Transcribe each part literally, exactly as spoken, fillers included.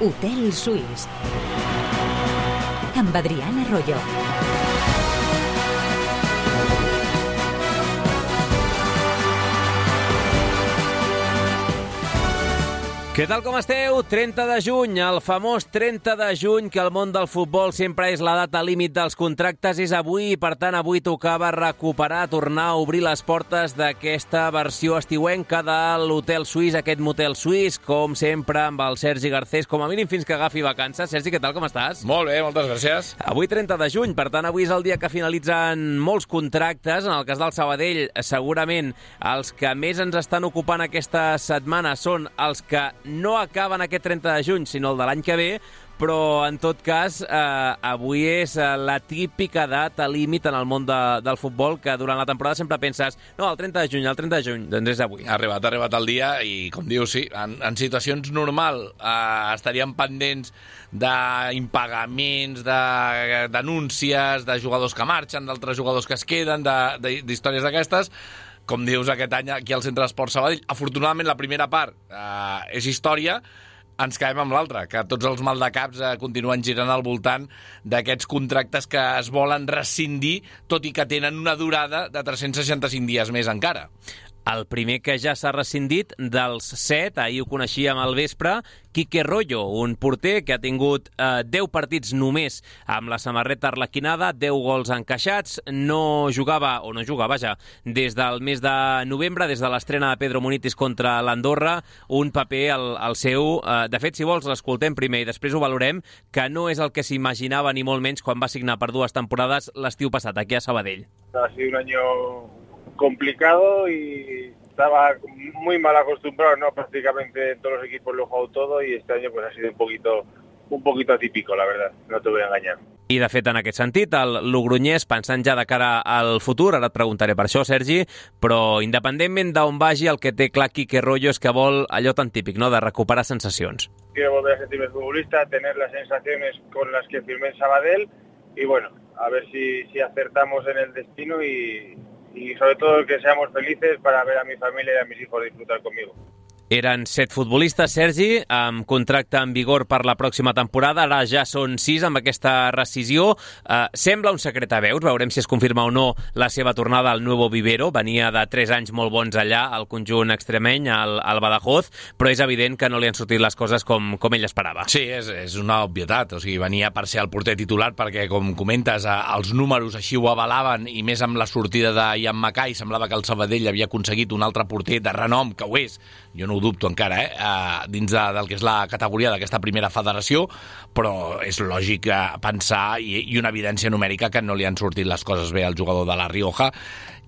Hotel Suís. Amb Adrián Arroyo. Què tal com esteu? trenta de juny, el famós trenta de juny, que al món del futbol sempre és la data límit dels contractes, és avui, i per tant avui tocava recuperar, tornar a obrir les portes d'aquesta versió estiuenca de l'Hotel Suís, aquest motel suís, com sempre amb el Sergi Garcés, com a mínim fins que agafi vacances. Sergi, què tal, com estàs? Molt bé, moltes gràcies. Avui trenta de juny, per tant avui és el dia que finalitzen molts contractes. En el cas del Sabadell, segurament els que més ens estan ocupant aquesta setmana són els que no acaben aquest trenta de juny, sinó el de l'any que ve, però en tot cas eh, avui és eh, la típica data límit en el món de, del futbol, que durant la temporada sempre penses no, el trenta de juny, el trenta de juny, doncs és avui. Ha arribat, ha arribat el dia i, com dius, sí, en, en situacions normal eh, estaríem pendents d'impagaments, de denúncies, de jugadors que marxen, d'altres jugadors que es queden, d'històries d'aquestes. Com dius, aquest any aquí al Centre d'Esport Sabadell, afortunadament la primera part eh, és història, ens quedem amb l'altra, que tots els maldecaps eh, continuen girant al voltant d'aquests contractes que es volen rescindir, tot i que tenen una durada de tres-cents seixanta-cinc dies més encara. El primer que ja s'ha rescindit dels set, ahir ho coneixíem al vespre, Quique Rollo, un porter que ha tingut eh, deu partits només amb la samarreta arlequinada, deu gols encaixats, no jugava, o no jugava ja, des del mes de novembre, des de l'estrena de Pedro Munitis contra l'Andorra, un paper al, al seu. Eh, de fet, si vols, l'escoltem primer i després ho valorem, que no és el que s'imaginava ni molt menys quan va signar per dues temporades l'estiu passat aquí a Sabadell. Ha sido un año complicado y estaba muy mal acostumbrado, ¿no? Prácticamente en todos los equipos lo he jugado todo y este año pues ha sido un poquito un poquito atípico, la verdad, no te voy a engañar. I, de fet, en aquest sentit, el Logroñés, pensant ja de cara al futur, ara et preguntaré per això, Sergi, però independentment d'on vagi, el que té clar Quique Rollo és que vol allò tan típic, no?, de recuperar sensacions. Quiero volver a sentirme futbolista, tener las sensaciones con las que firmé en Sabadell y, bueno, a ver si, si acertamos en el destino y... y sobre todo que seamos felices para ver a mi familia y a mis hijos disfrutar conmigo. Eren set futbolistes, Sergi, amb contracte en vigor per la pròxima temporada. Ara ja són sis amb aquesta rescisió. Uh, sembla un secret a veus, veurem si es confirma o no la seva tornada al Nuevo Vivero. Venia de tres anys molt bons allà, al conjunt extremeny, al, al Badajoz, però és evident que no li han sortit les coses com, com ell esperava. Sí, és, és una obvietat. O sigui, venia per ser el porter titular perquè, com comentes, els números així ho avalaven, i més amb la sortida de Ian Mackay semblava que el Sabadell havia aconseguit un altre porter de renom, que ho és. Jo no ho dubto encara, eh? Uh, dins de, del que és la categoria d'aquesta primera federació, però és lògic uh, pensar, i, i una evidència numèrica, que no li han sortit les coses bé al jugador de la Rioja,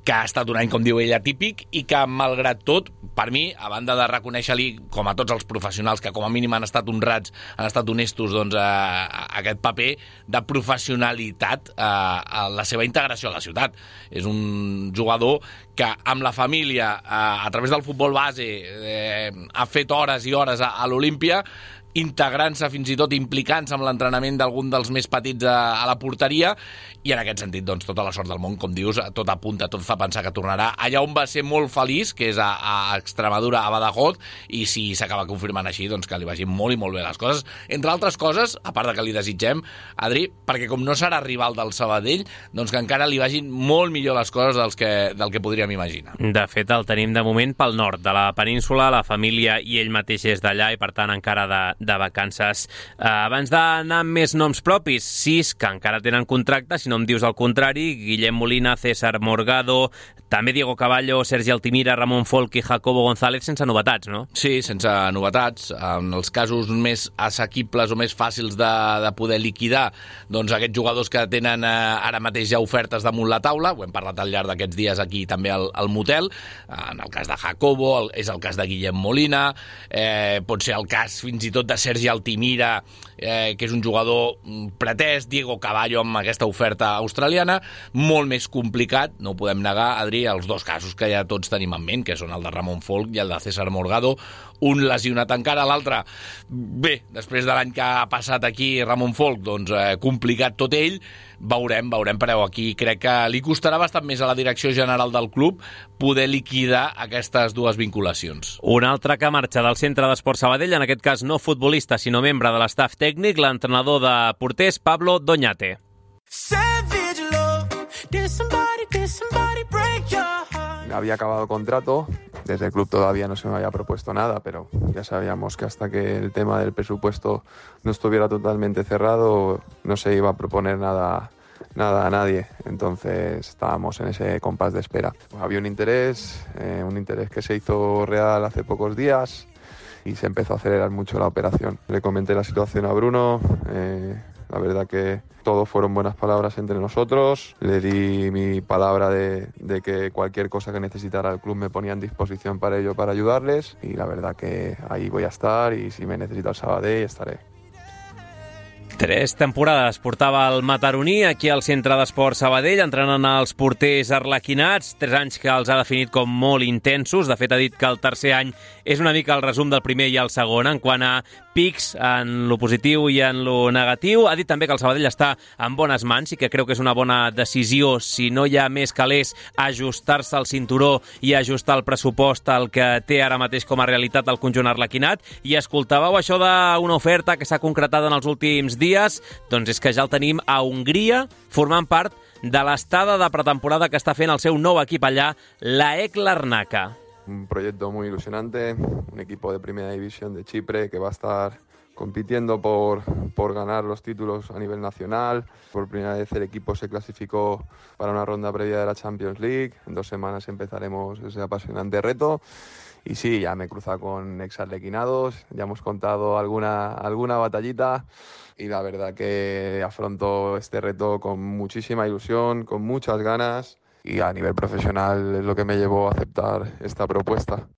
que ha estat un any, com diu ell, atípic, i que, malgrat tot, per mi, a banda de reconèixer-li, com a tots els professionals que com a mínim han estat honrats, han estat honestos, doncs, a aquest paper de professionalitat a, a la seva integració a la ciutat. És un jugador que amb la família, a, a través del futbol base, eh, ha fet hores i hores a, a l'Olímpia, integrant-se, fins i tot implicant-se amb l'entrenament d'algun dels més petits a, a la porteria, i en aquest sentit, doncs, tota la sort del món, com dius, tot apunta, tot fa pensar que tornarà allà on va ser molt feliç, que és a, a Extremadura, a Badajoz, i si s'acaba confirmant així, doncs que li vagin molt i molt bé les coses. Entre altres coses, a part de que li desitgem, Adri, perquè com no serà rival del Sabadell, doncs que encara li vagin molt millor les coses dels que, del que podríem imaginar. De fet, el tenim de moment pel nord de la península, la família i ell mateix és d'allà, i per tant encara de, de vacances. Uh, abans d'anar amb més noms propis, sis que encara tenen contracte, si no em dius el contrari: Guillem Molina, César Morgado, també Diego Caballo, Sergi Altimira, Ramon Folk i Jacobo González, sense novetats, no? Sí, sense novetats. En els casos més assequibles o més fàcils de, de poder liquidar, doncs aquests jugadors que tenen eh, ara mateix ja ofertes damunt la taula, ho hem parlat al llarg d'aquests dies aquí també al, al motel, en el cas de Jacobo, el, és el cas de Guillem Molina, eh, pot ser el cas fins i tot de Sergi Altimira, eh, que és un jugador pretès, Diego Caballo amb aquesta oferta australiana, molt més complicat, no ho podem negar, Adri, els dos casos que ja tots tenim en ment, que són el de Ramon Folk i el de César Morgado, un lesionat encara, l'altre, bé, després de l'any que ha passat aquí Ramon Folk, doncs eh, complicat tot ell, veurem, veurem, però aquí crec que li costarà bastant més a la direcció general del club poder liquidar aquestes dues vinculacions. Un altre que marxa del Centre d'Esports Sabadell, en aquest cas no futbolista, sinó membre de l'estaf tècnic, l'entrenador de porters, Pablo Doñate. Había acabado el contrato, desde el club todavía no se me había propuesto nada, pero ya sabíamos que hasta que el tema del presupuesto no estuviera totalmente cerrado no se iba a proponer nada, nada a nadie, entonces estábamos en ese compás de espera. Había un interés, eh, un interés que se hizo real hace pocos días y se empezó a acelerar mucho la operación. Le comenté la situación a Bruno, eh, la verdad que todo fueron buenas palabras entre nosotros. Le di mi palabra de, de que cualquier cosa que necesitara el club me ponía en disposición para ello, para ayudarles. Y la verdad que ahí voy a estar y si me necesita el Sabadell estaré. Tres temporades portava el mataroní aquí al Centre d'Esports Sabadell, entrenant els porters arlequinats, tres anys que els ha definit com molt intensos. De fet, ha dit que el tercer any és una mica el resum del primer i el segon, en quant a pics en lo positiu i en lo negatiu. Ha dit també que el Sabadell està en bones mans i que creu que és una bona decisió, si no hi ha més calés, ajustar-se al cinturó i ajustar el pressupost al que té ara mateix com a realitat el conjunt arlequinat. I escoltàveu això d'una oferta que s'ha concretat en els últims dies? Doncs és que ja el tenim a Hongria, formant part de l'estada de pretemporada que està fent el seu nou equip allà, la AEK Larnaca. Un proyecto muy ilusionante, un equipo de primera división de Chipre que va a estar compitiendo por, por ganar los títulos a nivel nacional. Por primera vez el equipo se clasificó para una ronda previa de la Champions League. En dos semanas empezaremos ese apasionante reto. Y sí, ya me he cruzado con exarlequinados, ya hemos contado alguna, alguna batallita y la verdad que afronto este reto con muchísima ilusión, con muchas ganas y a nivel profesional es lo que me llevó a aceptar esta propuesta.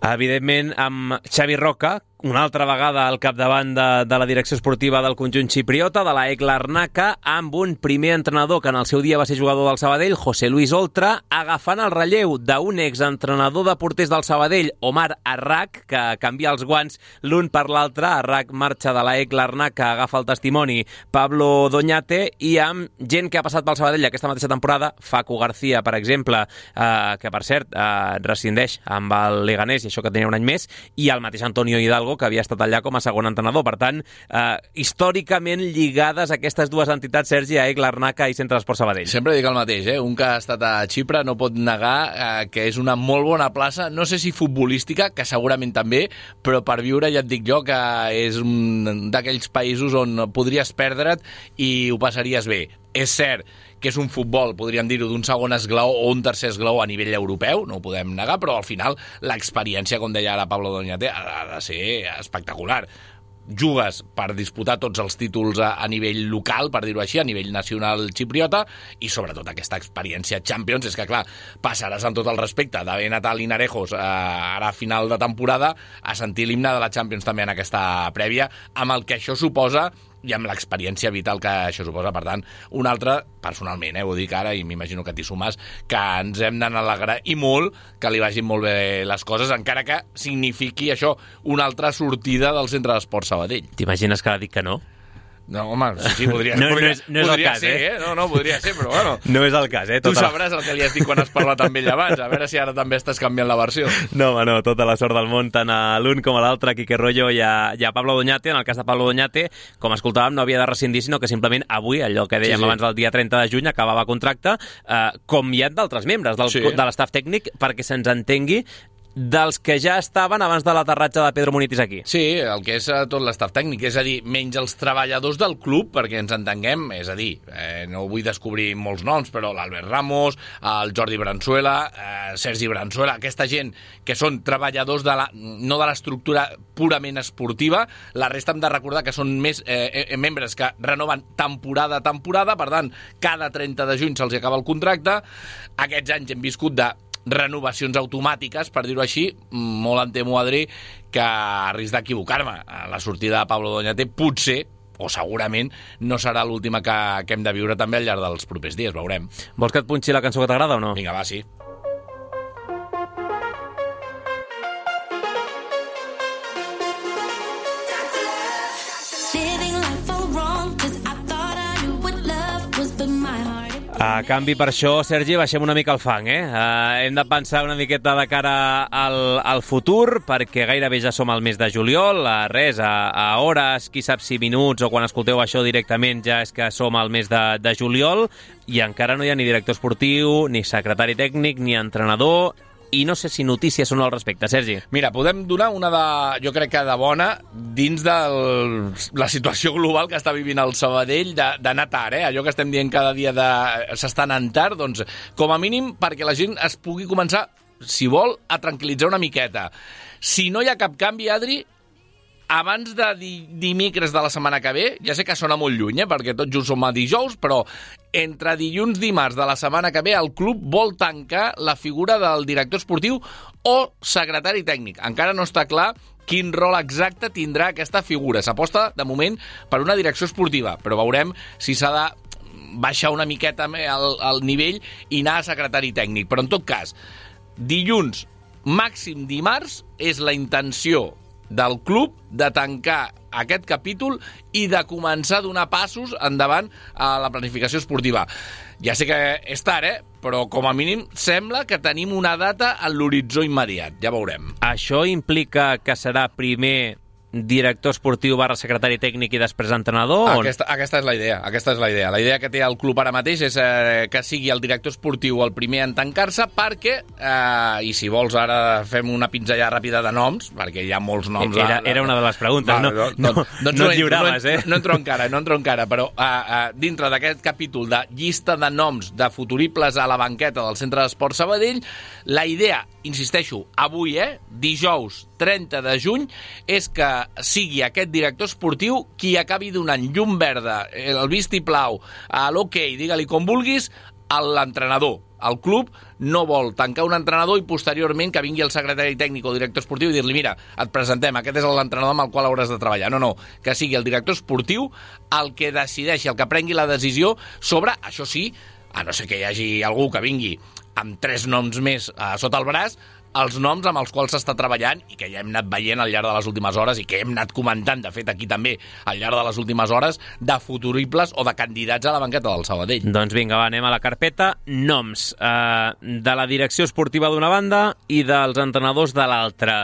Evidentment, amb Xavi Roca, una altra vegada al capdavant de, de la direcció esportiva del conjunt xipriota, de la AEK Larnaca, amb un primer entrenador que en el seu dia va ser jugador del Sabadell, José Luis Oltra, agafant el relleu d'un exentrenador de porters del Sabadell, Omar Arrak, que canvia els guants l'un per l'altre. Arrak marxa de la AEK Larnaca, agafa el testimoni Pablo Doñate, i amb gent que ha passat pel Sabadell aquesta mateixa temporada, Facu García, per exemple, eh, que per cert eh, rescindeix amb el Leganés, i això que tenia un any més, i el mateix Antonio Hidalgo, que havia estat allà com a segon entrenador. Per tant, eh, històricament lligades aquestes dues entitats, Sergi, AEK Larnaca i Centre d'Esports Sabadell. Sempre dic el mateix, eh? Un que ha estat a Xipre no pot negar eh, que és una molt bona plaça, no sé si futbolística, que segurament també, però per viure ja et dic jo que és un d'aquells països on podries perdre't i ho passaries bé. És cert que és un futbol, podríem dir-ho, d'un segon esglaó o un tercer esglaó a nivell europeu, no ho podem negar, però al final l'experiència, com deia ara Pablo Doñate, ha de ser espectacular. Jugues per disputar tots els títols a, a nivell local, per dir-ho així, a nivell nacional xipriota, i sobretot aquesta experiència Champions. És que, clar, passaràs amb tot el respecte d'haver anat a Linarejos eh, ara a final de temporada a sentir l'himne de la Champions també en aquesta prèvia, amb el que això suposa i amb l'experiència vital que això suposa. Per tant, un altre, personalment, eh, ho dic ara i m'imagino que t'hi sumes, que ens hem d'anar alegrar i molt que li vagin molt bé les coses, encara que signifiqui això una altra sortida del Centre d'Esports Sabadell. T'imagines que ara dic que no? No, home, sí, sí, podria, no, podria, no és, no és podria el cas, ser, eh? eh? No, no, podria ser, però bueno. No és el cas, eh? Tu Tota sabràs el que li has dit quan has parlat amb ell abans, a veure si ara també estàs canviant la versió. No, home, no, tota la sort del món, tant a l'un com a l'altre, Quique Rollo i a, i a Pablo Doñate. En el cas de Pablo Doñate, com escoltàvem, no havia de rescindir, sinó que simplement avui, allò que dèiem sí, sí. abans del dia trenta de juny, acabava contracte, eh, com hi ha d'altres membres del, sí. de l'estaf tècnic, perquè se'ns entengui, dels que ja estaven abans de l'aterratge de Pedro Munitis aquí. Sí, el que és tot l'estaf tècnic, és a dir, menys els treballadors del club, perquè ens entenguem, és a dir, eh, no vull descobrir molts noms, però l'Albert Ramos, el Jordi Branzuela, eh, Sergi Branzuela, aquesta gent que són treballadors de la, no de l'estructura purament esportiva, la resta hem de recordar que són més eh, eh, membres que renoven temporada a temporada, per tant, cada trenta de juny se'ls acaba el contracte. Aquests anys hem viscut de renovacions automàtiques, per dir-ho així. Molt em temo, Adri, que a risc d'equivocar-me, la sortida de Pablo Doñate potser, o segurament, no serà l'última que, que hem de viure també al llarg dels propers dies, veurem. Vols que et punxi la cançó que t'agrada o no? Vinga, va, sí. Living life for A canvi per això, Sergi, baixem una mica el fang, eh? Uh, hem de pensar una miqueta de cara al, al futur, perquè gairebé ja som al mes de juliol, a res, a, a hores, qui sap si minuts, o quan escolteu això directament ja és que som al mes de, de juliol, i encara no hi ha ni director esportiu, ni secretari tècnic, ni entrenador, i no sé si notícies són al respecte, Sergi. Mira, podem donar una de, jo crec que de bona, dins de la situació global que està vivint el Sabadell d'anar tard, eh? Allò que estem dient cada dia de s'està anant tard, doncs, com a mínim, perquè la gent es pugui començar, si vol, a tranquil·litzar una miqueta. Si no hi ha cap canvi, Adri, abans de di dimecres de la setmana que ve, ja sé que sona molt lluny, eh, perquè tot just som a dijous, però entre dilluns i dimarts de la setmana que ve el club vol tancar la figura del director esportiu o secretari tècnic. Encara no està clar quin rol exacte tindrà aquesta figura. S'aposta, de moment, per una direcció esportiva, però veurem si s'ha de baixar una miqueta el, el nivell i anar a secretari tècnic. Però, en tot cas, dilluns, màxim dimarts, és la intenció del club de tancar aquest capítol i de començar a donar passos endavant a la planificació esportiva. Ja sé que és tard, eh? Però com a mínim sembla que tenim una data en l'horitzó immediat. Ja veurem. Això implica que serà primer director esportiu barra secretari tècnic i després entrenador? Aquesta, aquesta és la idea, aquesta és la idea. La idea que té el club ara mateix és eh, que sigui el director esportiu el primer en tancar-se perquè, eh, i si vols ara fem una pinzellada ràpida de noms, perquè hi ha molts noms... Era, era una de les preguntes, va, no, no, no, doncs no, no et lliuraves, no, eh? No entro encara, no entro encara, però eh, eh, dintre d'aquest capítol de llista de noms de futuribles a la banqueta del Centre d'Esport Sabadell, la idea, insisteixo, avui, eh, dijous trenta de juny, és que sigui aquest director esportiu qui acabi donant llum verda, el vistiplau, a l'hoquei, digue-li com vulguis, a l'entrenador. El club no vol tancar un entrenador i posteriorment que vingui el secretari tècnic o director esportiu i dir-li, mira, et presentem, aquest és l'entrenador amb el qual hauràs de treballar. No, no, que sigui el director esportiu el que decideixi, el que prengui la decisió sobre, això sí, a no ser que hi hagi algú que vingui amb tres noms més eh, sota el braç, els noms amb els quals s'està treballant i que ja hem anat veient al llarg de les últimes hores i que hem anat comentant, de fet, aquí també, al llarg de les últimes hores, de futuribles o de candidats a la banqueta del Sabadell. Doncs vinga, va, anem a la carpeta. Noms eh, de la direcció esportiva d'una banda i dels entrenadors de l'altra.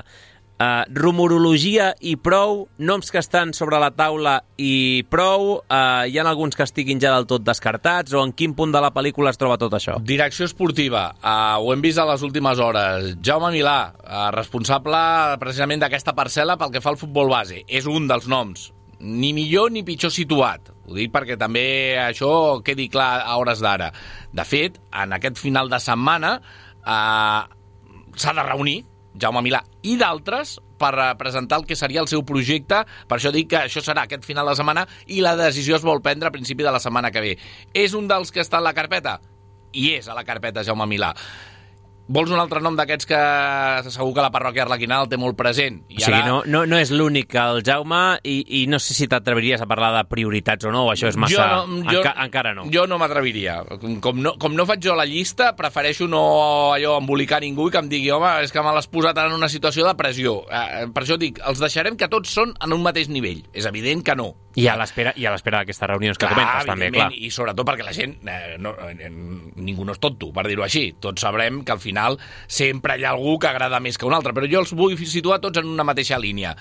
Uh, rumorologia i prou, noms que estan sobre la taula i prou, uh, hi ha alguns que estiguin ja del tot descartats, o en quin punt de la pel·lícula es troba tot això? Direcció esportiva, uh, ho hem vist a les últimes hores. Jaume Milà, uh, responsable precisament d'aquesta parcel·la pel que fa al futbol base, és un dels noms, ni millor ni pitjor situat. Ho dic perquè també això quedi clar a hores d'ara. De fet, en aquest final de setmana uh, s'ha de reunir Jaume Milà i d'altres per presentar el que seria el seu projecte. Per això dic que això serà aquest final de setmana i la decisió es vol prendre a principi de la setmana que ve. És un dels que està en la carpeta? I és a la carpeta Jaume Milà. Vols un altre nom d'aquests que segur que la parròquia arlequinada el té molt present? I o sigui, ara... no, no, no és l'únic, el Jaume, i, i no sé si t'atreviries a parlar de prioritats o no, o això és massa... Jo no, jo, Enca encara no. Jo no m'atreviria. Com, no, com no faig jo la llista, prefereixo no allò embolicar ningú i que em digui, home, és que me l'has posat en una situació de pressió. Eh, per això dic, els deixarem que tots són en un mateix nivell. És evident que no. I a l'espera i a l'espera d'aquestes reunions que clar, comentes, també, clar. I sobretot perquè la gent, eh, no, eh, ningú no és tonto, per dir-ho així. Tots sabrem que al final sempre hi ha algú que agrada més que un altre, però jo els vull situar tots en una mateixa línia.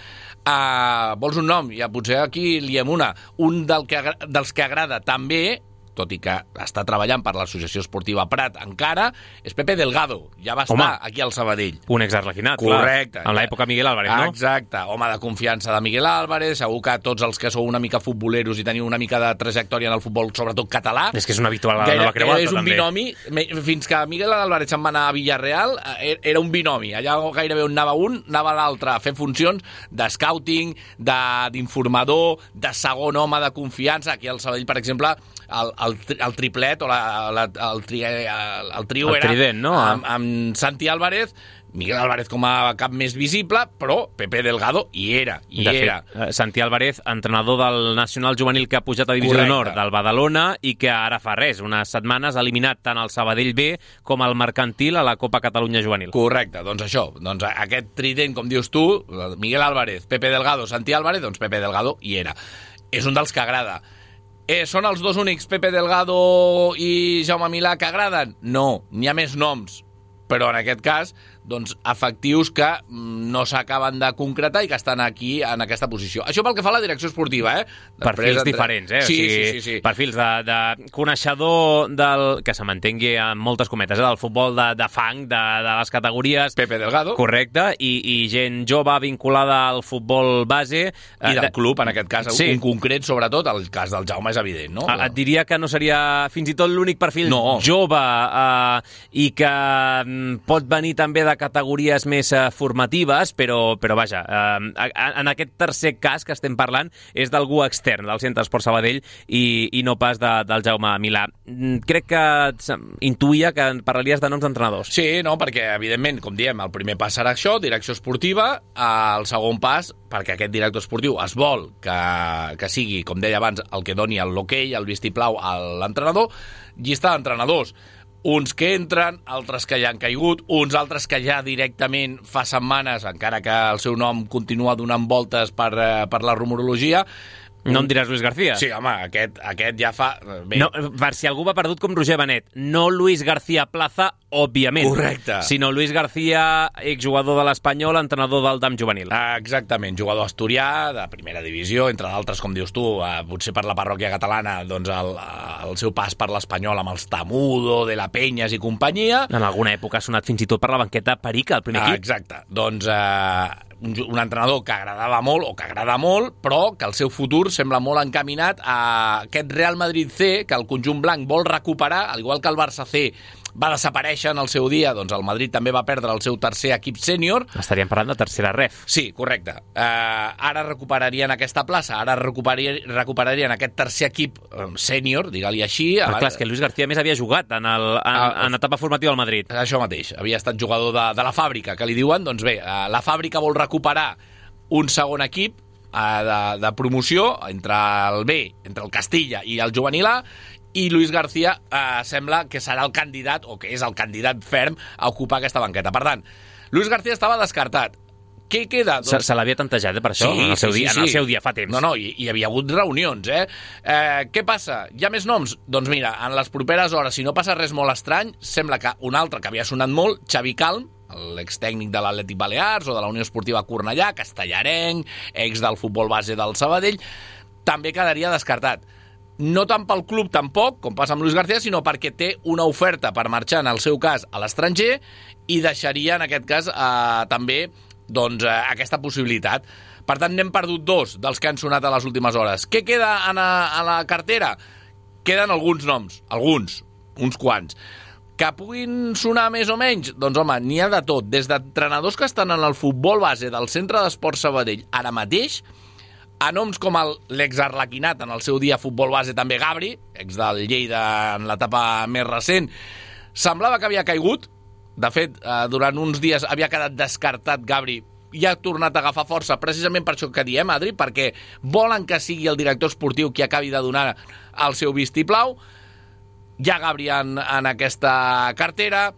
Uh, vols un nom? Ja potser aquí liem una. Un del que, dels que agrada també, tot i que està treballant per l'Associació Esportiva Prat encara, és Pepe Delgado. Ja va estar Home, aquí al Sabadell. Un exarlequinat, correcte. Clar. En l'època Miguel Álvarez, no? Exacte. Home de confiança de Miguel Álvarez. Segur que tots els que sou una mica futboleros i teniu una mica de trajectòria en el futbol, sobretot català... És que és un habitual a la Nova Creu Alta, és un també. binomi. Fins que Miguel Álvarez se'n va anar a Villarreal, era un binomi. Allà gairebé on anava un, anava l'altre a fer funcions de scouting, d'informador, de, de segon home de confiança. Aquí al Sabadell, per exemple, el, el, el triplet o la, la, el, tri, el, el trio el era trident, no? amb, amb Santi Álvarez, Miguel Álvarez com a cap més visible, però Pepe Delgado hi era, hi de era. Fet, Santi Álvarez, entrenador del Nacional Juvenil que ha pujat a Divisió d'Honor del Badalona i que ara fa res, unes setmanes ha eliminat tant el Sabadell B com el Mercantil a la Copa Catalunya Juvenil. Correcte, doncs això, doncs aquest trident, com dius tu, Miguel Álvarez, Pepe Delgado, Santi Álvarez, doncs Pepe Delgado hi era. És un dels que agrada. Eh, són els dos únics, Pepe Delgado i Jaume Milà, que agraden? No, n'hi ha més noms, però en aquest cas doncs, efectius que no s'acaben de concretar i que estan aquí en aquesta posició. Això pel que fa a la direcció esportiva, eh? Després perfils entre... diferents, eh? Sí, o sigui, sí, sí, sí. Perfils de, de coneixedor del, que se mantengui amb moltes cometes, eh? Del futbol de, de fang, de, de les categories... Pepe Delgado. Correcte, i, i gent jove vinculada al futbol base. I del de... club, en aquest cas, sí. Un concret, sobretot, el cas del Jaume és evident, no? Et diria que no seria fins i tot l'únic perfil no. jove eh, i que pot venir també de categories més eh, formatives, però, però vaja, eh, en aquest tercer cas que estem parlant és d'algú extern del Centre Esport Sabadell i, i no pas de, del Jaume Milà. Crec que intuïa que parlaries de noms d'entrenadors. Sí, no, perquè evidentment, com diem, el primer pas serà això, direcció esportiva, el segon pas, perquè aquest director esportiu es vol que, que sigui, com deia abans, el que doni l'hoquei, el vistiplau a l'entrenador, llista d'entrenadors. Uns que entren, altres que ja han caigut, uns altres que ja directament fa setmanes, encara que el seu nom continua donant voltes per, per la rumorologia. No em diràs Luis García? Sí, home, aquest, aquest ja fa... Bé. No, per si algú va perdut com Roger Benet, no Luis García Plaza, òbviament. Correcte. Sinó Luis García, exjugador de l'Espanyol, entrenador del D A M juvenil. Ah, exactament, jugador asturià, de primera divisió, entre d'altres, com dius tu, eh, potser per la parròquia catalana, doncs el, el seu pas per l'Espanyol amb els Tamudo, de la Penyes i companyia. En alguna època ha sonat fins i tot per la banqueta Perica, el primer ah, equip. Exacte, doncs... Eh, un, un entrenador que agradava molt o que agrada molt, però que el seu futur sembla molt encaminat a aquest Real Madrid C, que el conjunt blanc vol recuperar, al igual que el Barça C va desaparèixer en el seu dia, doncs el Madrid també va perdre el seu tercer equip sènior. Estaríem parlant de tercera ref. Sí, correcte. Uh, ara recuperarien aquesta plaça, ara recuperarien, recuperarien aquest tercer equip um, sènior, digue-li així. Però abans... clar, és que Luis García més havia jugat en, el, en, uh, en etapa formativa al Madrid. Això mateix, havia estat jugador de, de la fàbrica, que li diuen, doncs bé, uh, la fàbrica vol recuperar un segon equip uh, de, de promoció entre el B, entre el Castilla i el juvenil A, i Luis García eh, sembla que serà el candidat, o que és el candidat ferm a ocupar aquesta banqueta. Per tant, Luis García estava descartat. Què queda? Doncs... Se, se l'havia tantejat, eh, per això, sí, en, el seu sí, dia, sí, en el sí. seu dia, fa temps. No, no, hi, hi havia hagut reunions, eh? eh? Què passa? Hi ha més noms? Doncs mira, en les properes hores, si no passa res molt estrany, sembla que un altre que havia sonat molt, Xavi Calm, l'extècnic de l'Atlètic Balears o de la Unió Esportiva Cornellà, castellarenc, ex del futbol base del Sabadell, també quedaria descartat. No tant pel club tampoc, com passa amb Luis García, sinó perquè té una oferta per marxar, en el seu cas, a l'estranger, i deixaria, en aquest cas, eh, també doncs, eh, aquesta possibilitat. Per tant, n'hem perdut dos dels que han sonat a les últimes hores. Què queda a, a la cartera? Queden alguns noms, alguns, uns quants. Que puguin sonar més o menys? Doncs, home, n'hi ha de tot. Des d'entrenadors que estan en el futbol base del Centre d'Esport Sabadell ara mateix, a noms com l'ex-arlequinat, en el seu dia futbol base també Gabri, ex del Lleida en l'etapa més recent, semblava que havia caigut. De fet, eh, durant uns dies havia quedat descartat Gabri i ha tornat a agafar força, precisament per això que diem, Adri, perquè volen que sigui el director esportiu qui acabi de donar el seu vistiplau. Hi ha Gabri en, en aquesta cartera.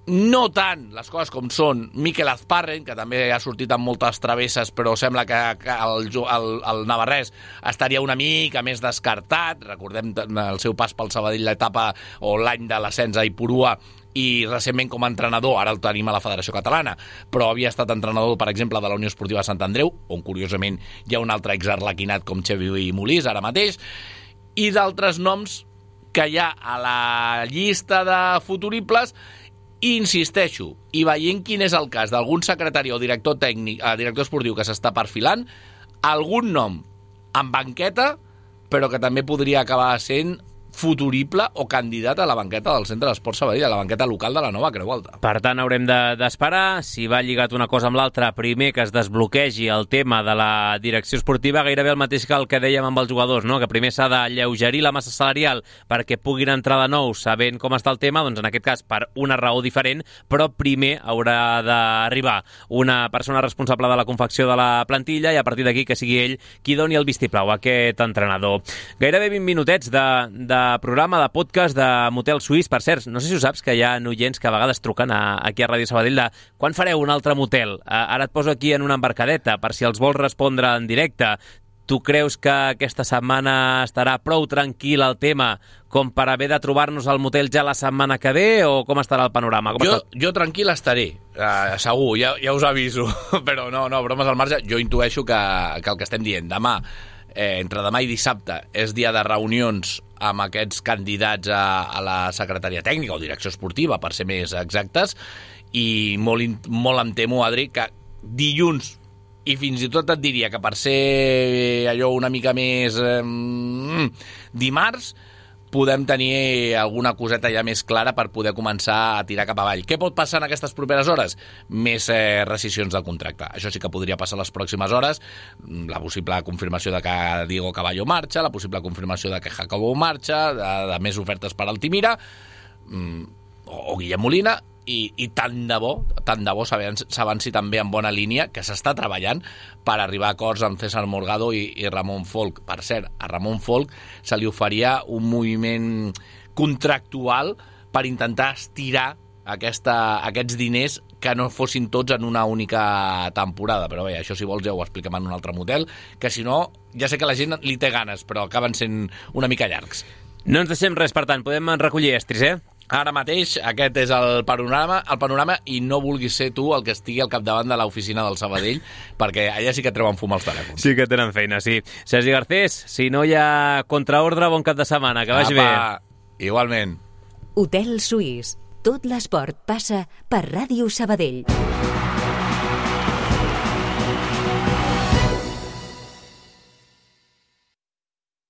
No tant les coses com són Mikel Azparren, que també ha sortit amb moltes travesses, però sembla que, que el, el, el navarrès estaria una mica més descartat. Recordem el seu pas pel Sabadell, l'etapa o l'any de l'ascens a Ipurua, i recentment com a entrenador, ara el tenim a la Federació Catalana, però havia estat entrenador, per exemple, de la Unió Esportiva de Sant Andreu, on curiosament hi ha un altre exarlequinat com Xavi Molís ara mateix, i d'altres noms que hi ha a la llista de futuribles. I insisteixo, i veient quin és el cas d'algun secretari o director tècnic, eh, director esportiu que s'està perfilant, algun nom en banqueta, però que també podria acabar sent futurible o candidat a la banqueta del Centre d'Esport Sabadell, a la banqueta local de la nova Creu Alta. Per tant, haurem d'esperar. De, si va lligat una cosa amb l'altra, primer que es desbloquegi el tema de la direcció esportiva, gairebé el mateix que el que dèiem amb els jugadors, no? Que primer s'ha d'alleugerir la massa salarial perquè puguin entrar de nou sabent com està el tema, doncs en aquest cas per una raó diferent, però primer haurà d'arribar una persona responsable de la confecció de la plantilla i a partir d'aquí que sigui ell qui doni el vistiplau a aquest entrenador. Gairebé vint minutets de, de programa, de podcast de Motel Suís. Per cert, no sé si ho saps, que hi ha oients que a vegades truquen a, aquí a Ràdio Sabadell de quan fareu un altre motel? Ara et poso aquí en una embarcadeta per si els vols respondre en directe. tu creus que aquesta setmana estarà prou tranquil el tema com per haver de trobar-nos al motel ja la setmana que ve, o com estarà el panorama? Com jo, està... jo tranquil estaré, uh, segur, ja, ja us aviso, però no, no, bromes al marge, jo intueixo que, que el que estem dient, demà, eh, entre demà i dissabte, és dia de reunions amb aquests candidats a, a la secretaria tècnica o direcció esportiva, per ser més exactes, i molt, molt em temo, Adri, que dilluns, i fins i tot et diria que per ser allò una mica més eh, dimarts, podem tenir alguna coseta ja més clara per poder començar a tirar cap avall. Què pot passar en aquestes properes hores? Més eh, rescissions del contracte. Això sí que podria passar les pròximes hores. La possible confirmació de que Diego Caballo marxa, la possible confirmació de que Jacobo marxa, de, de més ofertes per Altimira, mm, o, o Guillem Molina, i, i tant de bo, tant de bo s'avanci també en bona línia, que s'està treballant per arribar a acords amb César Morgado i, i Ramon Folk. Per cert, a Ramon Folk se li oferia un moviment contractual per intentar estirar aquesta, aquests diners que no fossin tots en una única temporada, però bé, això si vols ja ho expliquem en un altre motel, que si no, ja sé que la gent li té ganes, però acaben sent una mica llargs. No ens deixem res, per tant, podem recollir estris, eh? Ara mateix aquest és el panorama, el panorama i no vulguis ser tu el que estigui al capdavant de l'oficina del Sabadell, perquè allà sí que treuen fum als telèfons. Sí que tenen feina, sí. Sergi Garcés, si no hi ha contraordre, bon cap de setmana, que vagi Apa, bé. Igualment. Hotel Suís. Tot l'esport passa per Ràdio Sabadell.